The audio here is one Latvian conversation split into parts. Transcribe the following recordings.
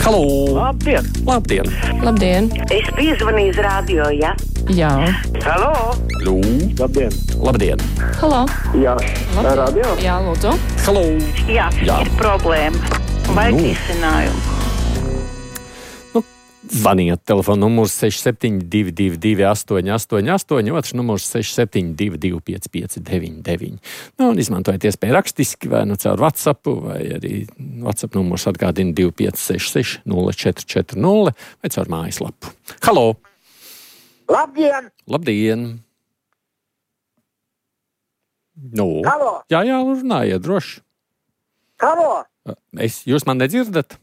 Halo! Labdien! Labdien! Labdien! Es piezvanīju uz radio, ja? Jā. Halo! Labdien! Labdien! Halo! Jā, Labdien. radio? Jā, lūdzu. Halo! Jā, Jā. ir problēma. Vajag izcinājumu. Zvaniet, telefona numurs 6722 888, otrs numurs 672 559. Un izmantojiet iespēju rakstiski, vai caur WhatsApp, vai arī WhatsApp numurs atgādina 2566 0440, vai caur mājaslapu. Halo! Labdien! Labdien! Halo! Jā, runājiet droši. Halo! Jūs man nedzirdat?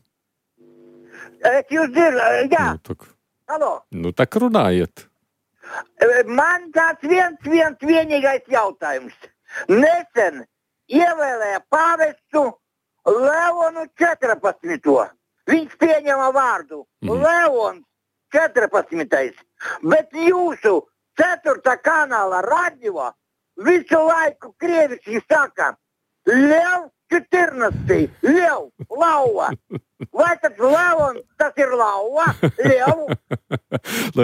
Es jūs dzirdu, jā. Halo! Tak runājiet. Man tāds vienīgais jautājums. Nesen ievēlēja pāvestu Leonu 14. Viņš pieņēma vārdu Leons 14. Bet jūsu 4. kanāla radio visu laiku krieviski saka Lev 14. Lev, lauva. Vai tas Leon, tas ir lauva? Lev?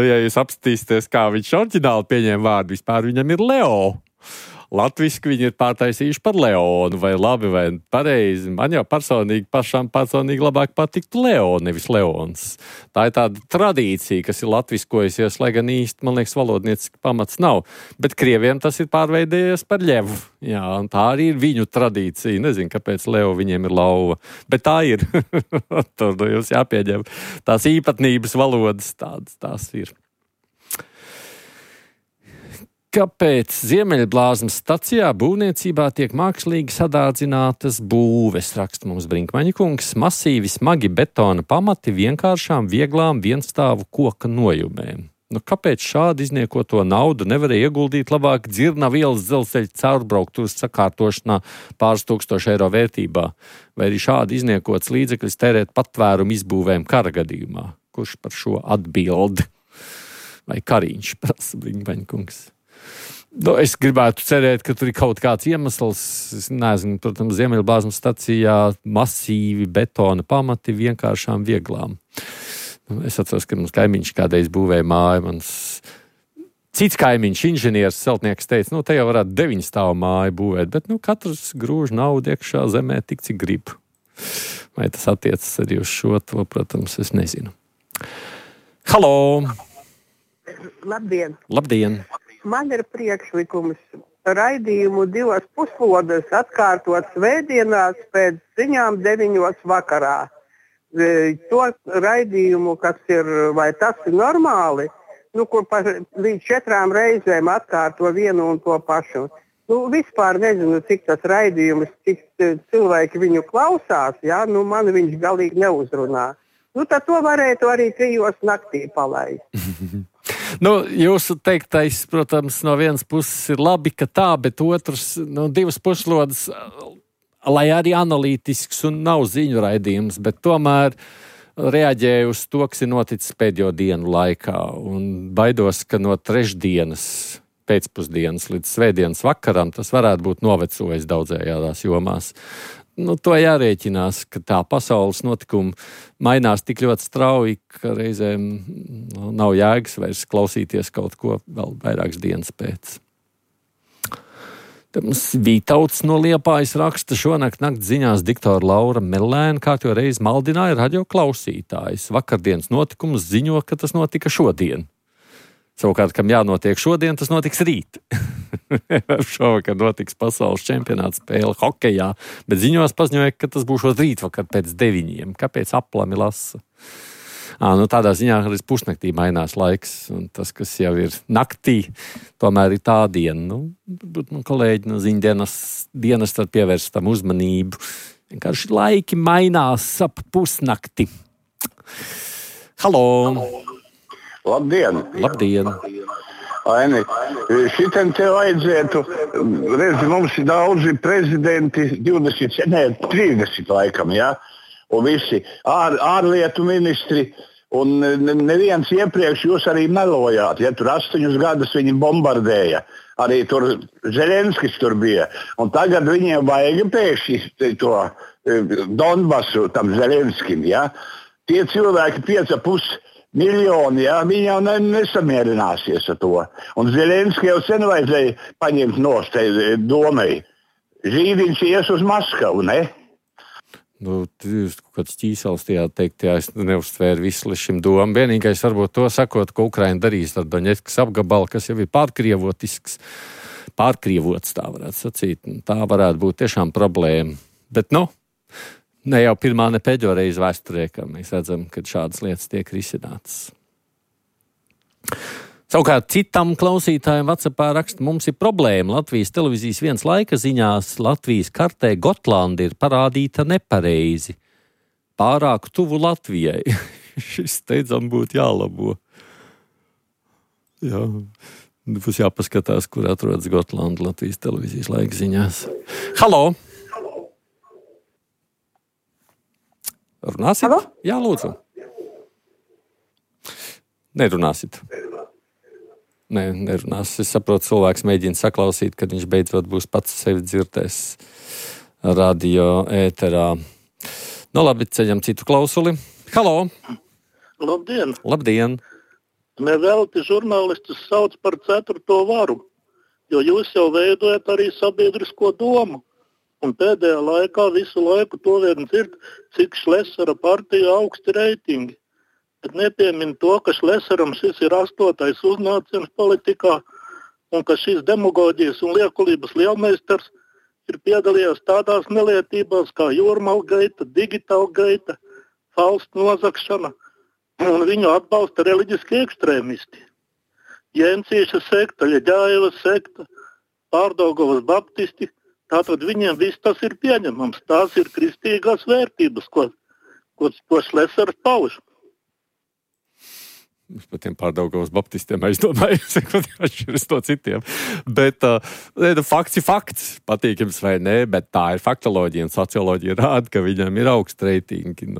Ja jūs apstīsties, kā viņš oriģināli pieņēma vārdu, vispār viņam ir Leo. Latviski viņi ir pārtaisījuši par Leonu, vai labi, vai pareizi. Man jau personīgi labāk patiktu Leo, nevis Leons. Tā ir tāda tradīcija, kas ir latviskojusies, lai gan īsti, man liekas, valodnieciski pamats nav. Bet krieviem tas ir pārveidējies par Ļevu. Jā, un tā arī ir viņu tradīcija. Nezinu, kāpēc Leo viņiem ir lauva. Bet tā ir. Tur jums jāpieņem. Tās īpatnības valodas tās ir. Kāpēc Ziemeļblāzmas stacijā būvniecībā tiek mākslīgi sadārdzinātas būves, raksta mums Brinkmaņa kungs, masīvi smagi betona pamati vienkāršām, vieglām, vienstāvu koka nojumēm? Kāpēc šādi izniekoto naudu nevarēja ieguldīt labāk Dzirnavu ielas dzelzceļa caurbrauktuves sakārtošanā pāris tūkstošu eiro vērtībā? Vai arī šādi izniekots līdzekļus tērēt patvērumu izbūvēm kara gadījumā? Kurš par šo atbild? Vai Kariņš, prasa Brinkmaņa kungs? Es gribētu cerēt, ka tur ir kaut kāds iemesls. Es nezinu, protams, Ziemeļblāzmas stacijā masīvi betona pamati vienkāršām vieglām. Es atceros, ka mums kaimiņš kādreiz būvēja māju. Mans cits kaimiņš, inženieris, celtnieks teica, te jau varētu 9 stāvu māju būvēt, bet katrs grūž naudu iekšā zemē tik, cik grib. Vai tas attiecas arī uz šo, to, protams, es nezinu. Halo! Labdien! Labdien! Man ir priekšlikums raidījumu 2 puslodes atkārtot svētdienās pēc ziņām 9 vakarā. To raidījumu, kas ir, vai tas ir normāli, kur līdz 4 reizēm atkārto vienu un to pašu. Vispār nezinu, cik tas raidījums, cik cilvēki viņu klausās, man viņš galīgi neuzrunā. Tad to varētu arī 3 naktī palaist. Jūsu teiktais, protams, no vienas puses ir labi, ka tā, bet otrs, 2 puslodes, lai arī analītisks un nav ziņu raidījums, bet tomēr reaģēju uz to, kas ir noticis pēdējo dienu laikā. Un baidos, ka no trešdienas pēcpusdienas līdz svētdienas vakaram tas varētu būt novecojis daudzējādās jomās. To jārēķinās, ka tā pasaules notikumi mainās tik ļoti strauji, ka reizēm nav jēgas vairs klausīties kaut ko vēl vairākas dienas pēc. Te mums Vītauts no Liepājas raksta, šonakt nakts ziņās diktora Laura Mellēna kārtjo reizi maldināja radio klausītājus. Vakardienas notikumus ziņo, ka tas notika šodien. Savukārt, kam jānotiek šodien, tas notiks rīt. Šovakar notiks pasaules čempionāts spēle hokejā, bet ziņos paziņoja, ka tas būs rītvakar pēc 9. Kāpēc aplami lasa? Tādā ziņā arī pusnaktī mainās laiks, un tas, kas jau ir naktī, tomēr ir tā diena. Varbūt kolēģi no ziņdienas tad pievērst tam uzmanību. Vienkārši laiki mainās ap pusnakti. Halo! Labdien! Labdien! Aini, šitam te vajadzētu, redzi, mums ir daudzi prezidenti, 30 laikam, un visi ārlietu ministri, un neviens iepriekš jūs arī melojāt, tur 8 gadus viņi bombardēja, arī tur Zelenskis tur bija, un tagad viņiem vajag pēkšņi to Donbasu tam Zelenskim, tie cilvēki 5,5 miljoni, ja, viņi jau nesamierināsies ar to. Un Zelenski jau sen vajadzēja paņemt nost domai. Žīdiņš ies uz Maskavu, ne? Nu, jūs kaut kāds ķīsels tajā teikt, jā, es neuztvēru visu līdz šim domu. Vienīgais varbūt to sakot, ko Ukraina darīs ar Doņetskas apgabalu, kas jau ir pārkrievotisks, pārkrievots, tā varētu sacīt. Tā varētu būt tiešām problēma. Bet, ne jau pirmā, ne pēdējo reizi vēsturē, ka mēs redzam, ka šādas lietas tiek risinātas. Savukārt citam klausītājiem WhatsAppā raksta, mums ir problēma. Latvijas televīzijas viens laika ziņās Latvijas kartē Gotlanda ir parādīta nepareizi. Pārāk tuvu Latvijai. Šis steidzam būtu jālabo. Jā, būs jāpaskatās, kur atrodas Gotlanda Latvijas televīzijas laika ziņās. Halo! Runāsit? Halo? Jā, lūdzu. Nerunāsit. Nerunās. Es saprotu, cilvēks mēģina saklausīt, kad viņš beidzot būs pats sevi dzirdēs radio ēterā. Labi, ceļam citu klausuli. Halo! Labdien! Labdien! Nevelti žurnālistus sauc par 4. varu, jo jūs jau veidojat arī sabiedrisko domu. Un pēdējā laikā visu laiku to vien dzird, cik Šlesera partija augsti reitingi. Bet nepiemin to, ka Šleseram šis ir 8. uznāciens politikā un ka šis demagoģijas un liekulības lielmeistars ir piedalījies tādās nelietībās kā jūrmalgaita, digitālgaita, falstu nozagšana un viņu atbalsta reliģiski ekstrēmisti. Jēncīša sekta, Ļeģājevas sekta, Pārdaugavas baptisti, tātad viņiem viss tas ir pieņemams. Tās ir kristīgās vērtības, ko Šlesers pauž. Par tiem Pārdaugavas baptistiem aizdomāju, sekot atšķiras no citiem. Bet fakts ir fakts, patīkams vai nē, bet tā ir faktoloģija un socioloģija rāda, ka viņam ir augsts reitingi.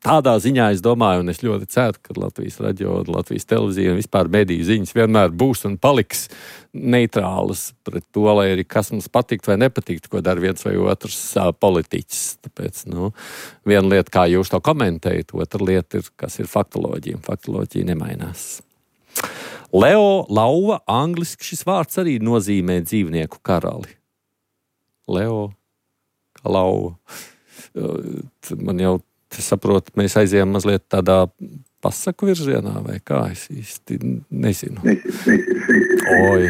Tādā ziņā es domāju, un es ļoti ceru, ka Latvijas radio, Latvijas televīzija un vispār mediju ziņas vienmēr būs un paliks neitrālas pret to, lai arī kas mums patikt vai nepatikt, ko dara viens vai otrs politiķis. Tāpēc, viena lieta, kā jūs to komentējat, otra lieta ir, kas ir faktoloģija. Faktoloģija nemainās. Leo lauva, angliski šis vārds arī nozīmē dzīvnieku karali. Leo, kā lauva. Man jau, saprotu, mēs aizējām mazliet tādā pasaku virzienā, vai kā, es īsti nezinu. Oi,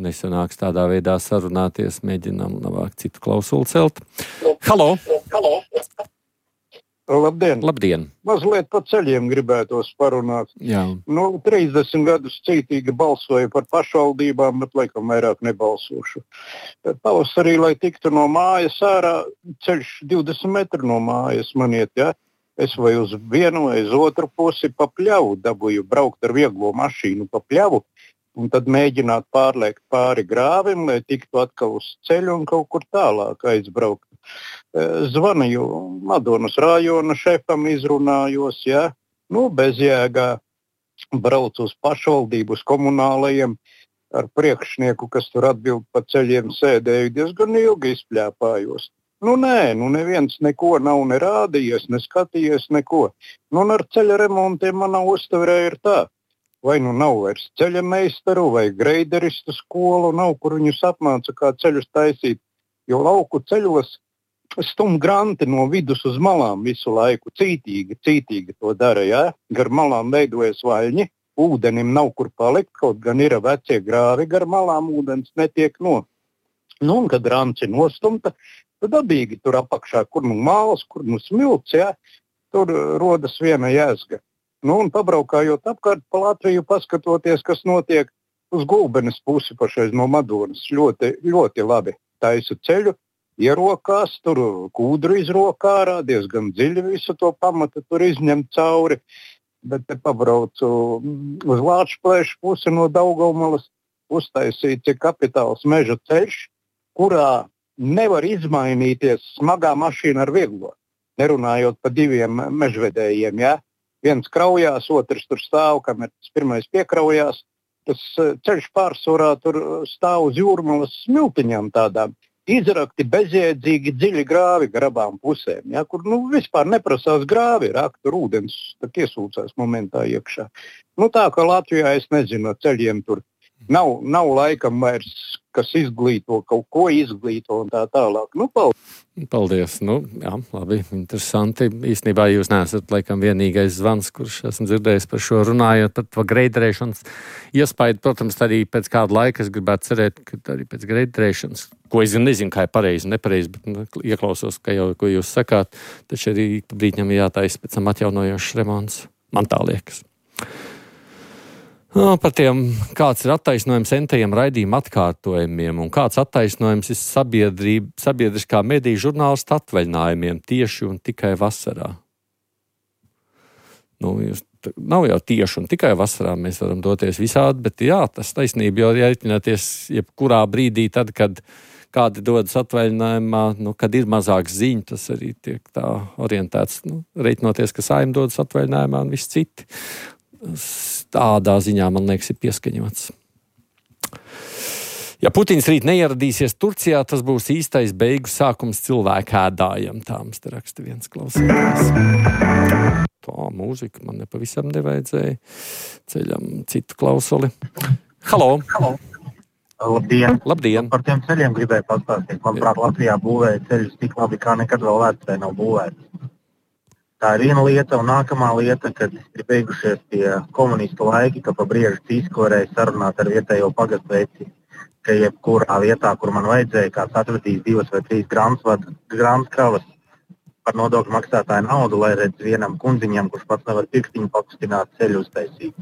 nesanāks tādā veidā sarunāties, mēģinām labāk citu klausuli celt. Halo! Labdien! Labdien! Mazliet pa ceļiem gribētos parunāt. Jā. 30 gadus cītīgi balsoju par pašvaldībām, bet laikam vairāk nebalsošu. Pavasarī, lai tiktu no mājas ārā, ceļš 20 metru no mājas man iet, ja? Es vai uz vienu vai uz otru pusi pa pļavu dabūju braukt ar vieglo mašīnu pa pļavu un tad mēģināt pārliekt pāri grāvim, lai tiktu atkal uz ceļu un kaut kur tālāk aizbraukt. Zvanīju Madonas rajona šefam, izrunājos, ja? Bezjēgā braucu uz pašvaldību, uz komunālajiem ar priekšnieku, kas tur atbild pa ceļiem, sēdēju diezgan ilgi izpļāpājos. Neviens neko nav nerādījies, neskatījies neko. Ar ceļa remontiem manā uztverē ir tā. Vai nav vairs ceļa meistaru vai greideristu skolu, nav, kur viņus apmāca, kā ceļus taisīt. Jo lauku ceļos stum granti no vidus uz malām visu laiku. Cītīgi to dara, ja? Gar malām veidojas vaļņi, ūdenim nav kur palikt, kaut gan ir vecie grāvi, gar malām ūdens netiek no. Un kad ranci nostumta, tad dabīgi tur apakšā, kur māls, kur smilts, ja, tur rodas viena jēzga. Un pabraukājot apkārt pa Latviju, paskatoties, kas notiek uz Gulbenes pusi pašais no Madonas, ļoti, ļoti labi taisa ceļu, ierokās, tur kūdru izrokā ārā, diezgan dziļi visu to pamatu tur izņemt cauri, bet te pabraucu uz Lāčplēšu pusi no Daugavmalas, uztaisīts ir kapitāls meža ceļš, kurā nevar izmainīties smagā mašīna ar vieglo. Nerunājot pa diviem mežvedējiem, ja? Viens kraujās, otrs tur stāv, kamēr tas pirmais piekraujās. Tas ceļš pārsvarā tur stāv uz jūrmalas smiltiņām tādām. izrakti bezjēdzīgi dziļi grāvi gar abām pusēm, ja, kur vispār neprasās grāvi, rakt tur ūdens, tad iesūcās momentā iekšā. Tā kā Latvijā, es nezinu, no ceļiem tur nav laikam vairs, kas izglīto, kaut ko izglīto un tā tālāk. Paldies. Jā, labi, interesanti. Īstenībā jūs neesat laikam vienīgais zvans, kurš esmu dzirdējis par šo runājot, par to greidrēšanas iespaidu. Protams, arī pēc kāda laika es gribētu cerēt, ka arī pēc greidrēšanas, ko es nezinu, kā ir pareizi un nepareizi, bet ieklausos, ka jau, ko jūs sakāt, taču arī brīdņam jātaisa pēc tam atjaunojošs remonts. Man tā liekas. Par tiem, kāds ir attaisnojums entajiem raidījuma atkārtojumiem un kāds attaisnojums ir sabiedriskā mediju žurnālistu atvaļinājumiem tieši un tikai vasarā. Nav jau tieši un tikai vasarā, mēs varam doties visādi, bet jā, tas taisnība jau jāiķināties jebkurā brīdī tad, kad kādi dodas atvaļinājumā, kad ir mazāks ziņu, tas arī tiek tā orientēts, reiķinoties, ka Saeima dodas atvaļinājumā un viss citi. Tādā ziņā, man liekas, ir pieskaņots. Ja Putins rīt neieradīsies Turcijā, tas būs īstais beigu sākums cilvēku ēdājam. Tā mums te raksta viens klausītājs. Tā mūzika man nepavisam nevajadzēja. Ceļam citu klausuli. Halo! Labdien! Par tiem ceļiem gribēju pastāstīt. Manuprāt, Latvijā būvēja ceļus tik labi, kā nekad vēl vēsturē nav būvēts. Tā ir viena lieta, un nākamā lieta, kad ir beigušies tie komunistu laiki, ka pa briežu cīsku varēja sarunāt ar vietējo pagastu veci, ka jebkurā vietā, kur man vajadzēja, kāds atvedīs 2 vai 3 grāmas kravas par nodokļu maksātāju naudu, lai redz vienam kundziņam, kurš pats nevar pirkstiņu pakustināt, ceļu uztaisīt.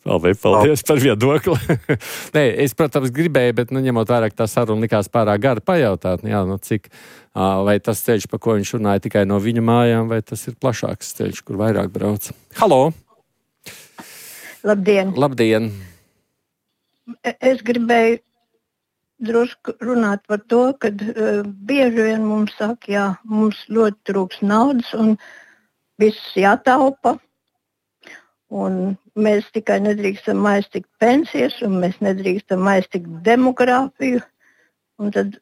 Paldies par viedokli. Nē, es, protams, gribēju, bet ņemot vērā, ka tā saruna likās pārāk gara pajautāt, cik, vai tas ceļš, pa ko viņš runāja tikai no viņa mājām, vai tas ir plašāks ceļš, kur vairāk brauc. Halo! Labdien! Es gribēju drusku runāt par to, ka bieži vien mums saka, mums ļoti trūks naudas un viss jātaupa. Un mēs tikai nedrīkstam aiztikt pensijas un mēs nedrīkstam aiztikt demogrāfiju. Un tad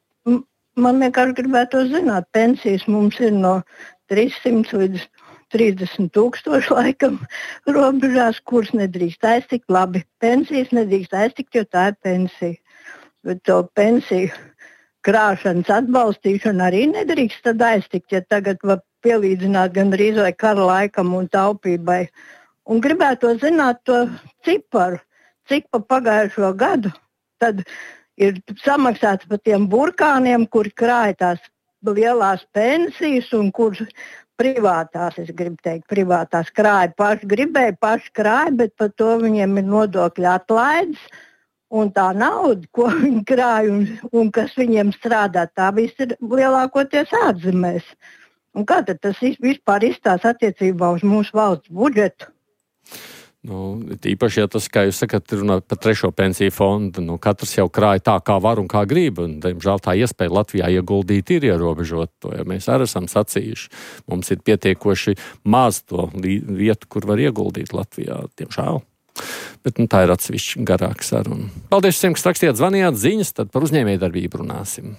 man vienkārši gribētu zināt, pensijas mums ir no 300 līdz 30,000 laikam robežās, kuras nedrīkst aiztikt. Labi, pensijas nedrīkst aiztikt, jo tā ir pensija. Bet to pensiju krāšanas atbalstīšanu arī nedrīkst tad aiztikt, ja tagad var pielīdzināt gandrīz vai kara laikam un taupībai. Un gribētu zināt to ciparu, cik pa pagājušo gadu tad ir samaksāts par tiem burkāniem, kuri krāja tās lielās pensijas un kurš privātās, es gribu teikt, privātās krāja paši gribēja, paši krāja, bet par to viņiem ir nodokļu atlaides. Un tā nauda, ko viņi krāja un kas viņiem strādā, tā viss ir lielākoties ārzemēs. Un kā tad tas vispār izstās attiecībā uz mūsu valsts budžetu? Īpaši, ja tas, kā jūs sakat, runā par 3. pensiju fondu, katrs jau krāja tā, kā var un kā grib, un, diemžēl, tā iespēja Latvijā ieguldīt ir ierobežot to, ja mēs arī esam sacījuši. Mums ir pietiekoši maz to vietu, kur var ieguldīt Latvijā, diemžēl. Bet tā ir atsevišķi garāka saruna. Paldies visiem, kas rakstījāt, zvanījāt ziņas, tad par uzņēmējdarbību runāsim.